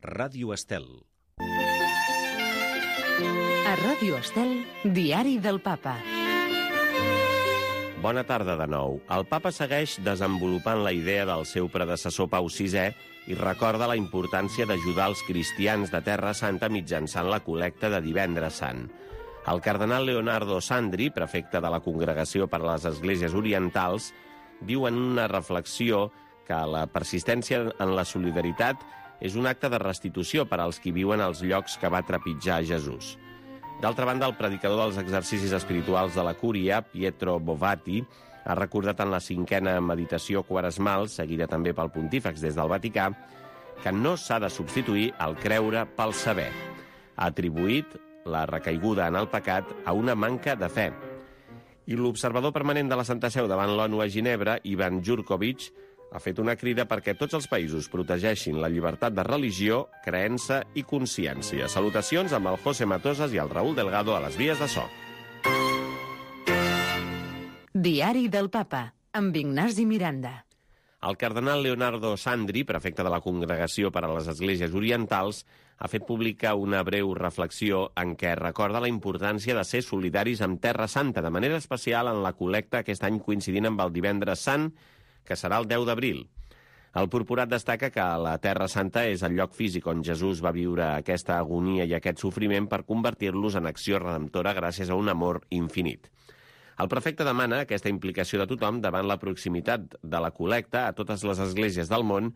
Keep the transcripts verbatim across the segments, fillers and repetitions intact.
Ràdio Estel. A Ràdio Estel, Diari del Papa. Bona tarda de nou. El papa segueix desenvolupant la idea del seu predecessor Pau sisè i recorda la importància d'ajudar els cristians de Terra Santa mitjançant la col·lecta de Divendres Sant. El cardenal Leonardo Sandri, prefecte de la Congregació per a les Esglésies Orientals, diu en una reflexió que la persistència en la solidaritat és un acte de restitució per als qui viuen als llocs que va trepitjar Jesús. D'altra banda, el predicador dels exercicis espirituals de la Cúria, Pietro Bovati, ha recordat en la cinquena meditació quaresmal, seguida també pel pontífex des del Vaticà, que no s'ha de substituir el creure pel saber. Ha atribuït la recaiguda en el pecat a una manca de fe. I l'observador permanent de la Santa Seu davant l'ONU a Ginebra, Ivan Jurkovic, ha fet una crida perquè tots els països protegeixin la llibertat de religió, creença i consciència. Salutacions amb el José Matosas i el Raúl Delgado a les vies de so. Diari del Papa, amb Ignasi Miranda. El cardenal Leonardo Sandri, prefecte de la Congregació per a les Esglésies Orientals, ha fet pública una breu reflexió en què recorda la importància de ser solidaris amb Terra Santa, de manera especial en la col·lecta aquest any coincidint amb el Divendres Sant, que serà el deu d'abril. El purpurat destaca que la Terra Santa és el lloc físic on Jesús va viure aquesta agonia i aquest sofriment per convertir-los en acció redemptora gràcies a un amor infinit. El prefecte demana aquesta implicació de tothom davant la proximitat de la col·lecta a totes les esglésies del món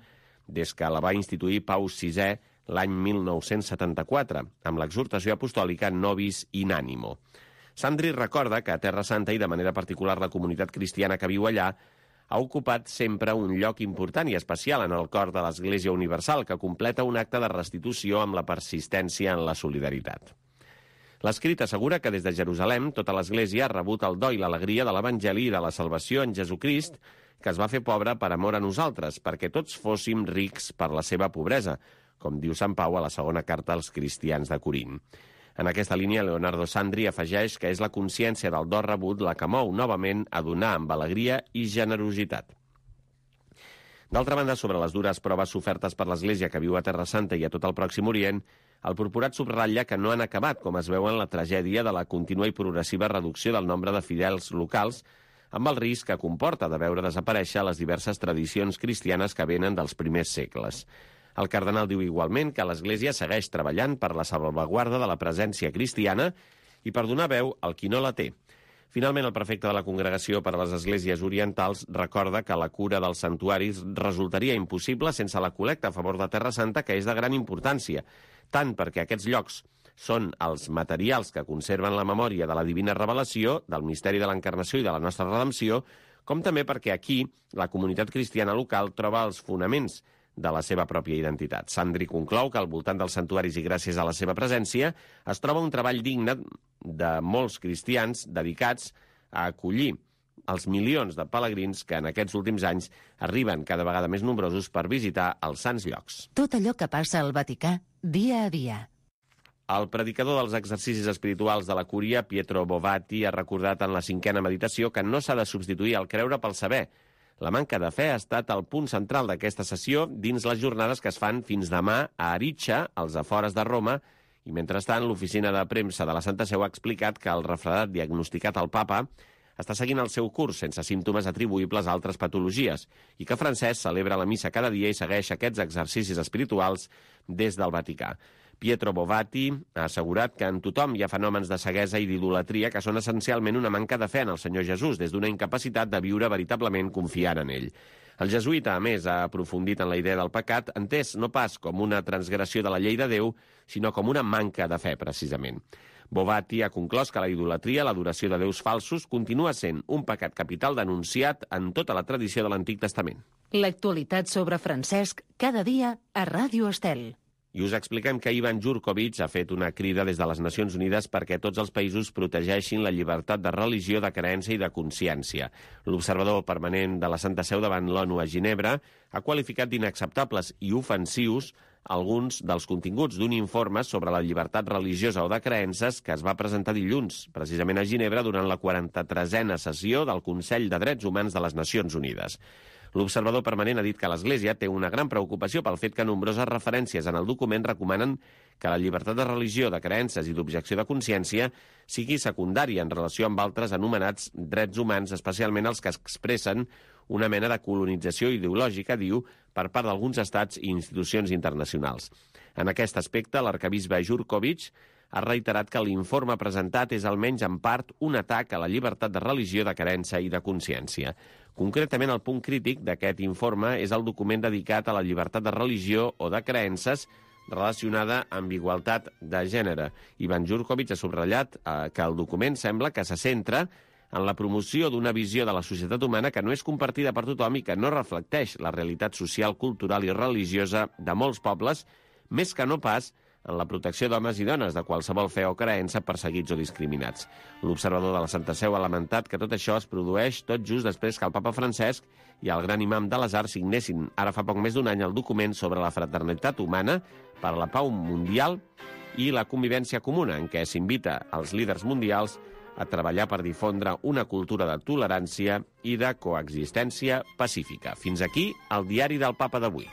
des que la va instituir Pau sisè l'any mil nou-cents setanta-quatre, amb l'exhortació apostòlica Nobis in Animo. Sandri recorda que a Terra Santa i de manera particular la comunitat cristiana que viu allà ha ocupat sempre un lloc important i especial en el cor de l'Església Universal, que completa un acte de restitució amb la persistència en la solidaritat. L'escrit assegura que des de Jerusalem tota l'Església ha rebut el do i l'alegria de l'Evangeli i de la salvació en Jesucrist, que es va fer pobre per amor a nosaltres, perquè tots fóssim rics per la seva pobresa, com diu Sant Pau a la segona carta als cristians de Corint. En aquesta línia, Leonardo Sandri afegeix que és la consciència del do rebut la que mou novament a donar amb alegria i generositat. D'altra banda, sobre les dures proves sofertes per l'Església que viu a Terra Santa i a tot el Pròxim Orient, el purpurat subratlla que no han acabat, com es veu en la tragèdia de la contínua i progressiva reducció del nombre de fidels locals, amb el risc que comporta de veure desaparèixer les diverses tradicions cristianes que venen dels primers segles. El cardenal diu igualment que l'Església segueix treballant per la salvaguarda de la presència cristiana i per donar veu al qui no la té. Finalment, el prefecte de la Congregació per a les Esglésies Orientals recorda que la cura dels santuaris resultaria impossible sense la col·lecta a favor de Terra Santa, que és de gran importància, tant perquè aquests llocs són els materials que conserven la memòria de la divina revelació, del misteri de l'encarnació i de la nostra redempció, com també perquè aquí la comunitat cristiana local troba els fonaments de la seva pròpia identitat. Sandri conclou que al voltant dels santuaris i gràcies a la seva presència es troba un treball digne de molts cristians dedicats a acollir els milions de pelegrins que en aquests últims anys arriben cada vegada més nombrosos per visitar els sants llocs. Tot allò que passa al Vaticà, dia a dia. El predicador dels exercicis espirituals de la Cúria, Pietro Bovati, ha recordat en la cinquena meditació que no s'ha de substituir el creure pel saber. La manca de fe ha estat el punt central d'aquesta sessió dins les jornades que es fan fins demà a Aritxa, als afores de Roma, i mentrestant l'oficina de premsa de la Santa Seu ha explicat que el refredat diagnosticat al papa està seguint el seu curs sense símptomes atribuïbles a altres patologies i que Francesc celebra la missa cada dia i segueix aquests exercicis espirituals des del Vaticà. Pietro Bovati ha assegurat que en tothom hi ha fenòmens de ceguesa i d'idolatria que són essencialment una manca de fe en el Senyor Jesús, des d'una incapacitat de viure veritablement confiant en ell. El jesuïta, a més, ha aprofundit en la idea del pecat, entès no pas com una transgressió de la llei de Déu, sinó com una manca de fe, precisament. Bovati ha conclòs que la idolatria, l'adoració de déus falsos, continua sent un pecat capital denunciat en tota la tradició de l'Antic Testament. L'actualitat sobre Francesc, cada dia a Ràdio Estel. I us expliquem que Ivan Jurkovic ha fet una crida des de les Nacions Unides perquè tots els països protegeixin la llibertat de religió, de creença i de consciència. L'observador permanent de la Santa Seu davant l'ONU a Ginebra ha qualificat d'inacceptables i ofensius alguns dels continguts d'un informe sobre la llibertat religiosa o de creences que es va presentar dilluns, precisament a Ginebra, durant la quaranta-tresena sessió del Consell de Drets Humans de les Nacions Unides. L'observador permanent ha dit que l'Església té una gran preocupació pel fet que nombroses referències en el document recomanen que la llibertat de religió, de creences i d'objecció de consciència sigui secundària en relació amb altres anomenats drets humans, especialment els que expressen una mena de colonització ideològica, diu, per part d'alguns estats i institucions internacionals. En aquest aspecte, l'arquebisbe Jurkovic ha reiterat que l'informe presentat és almenys en part un atac a la llibertat de religió, de creença i de consciència. Concretament, el punt crític d'aquest informe és el document dedicat a la llibertat de religió o de creences relacionada amb igualtat de gènere. Ivan Jurkovic ha subratllat eh, que el document sembla que se centra en la promoció d'una visió de la societat humana que no és compartida per tothom i que no reflecteix la realitat social, cultural i religiosa de molts pobles, més que no pas en la protecció d'homes i dones de qualsevol fe o creença perseguits o discriminats. L'observador de la Santa Seu ha lamentat que tot això es produeix tot just després que el papa Francesc i el gran imam de l'Azhar signessin ara fa poc més d'un any el document sobre la fraternitat humana per a la pau mundial i la convivència comuna, en què s'invita als líders mundials a treballar per difondre una cultura de tolerància i de coexistència pacífica. Fins aquí el diari del papa d'avui.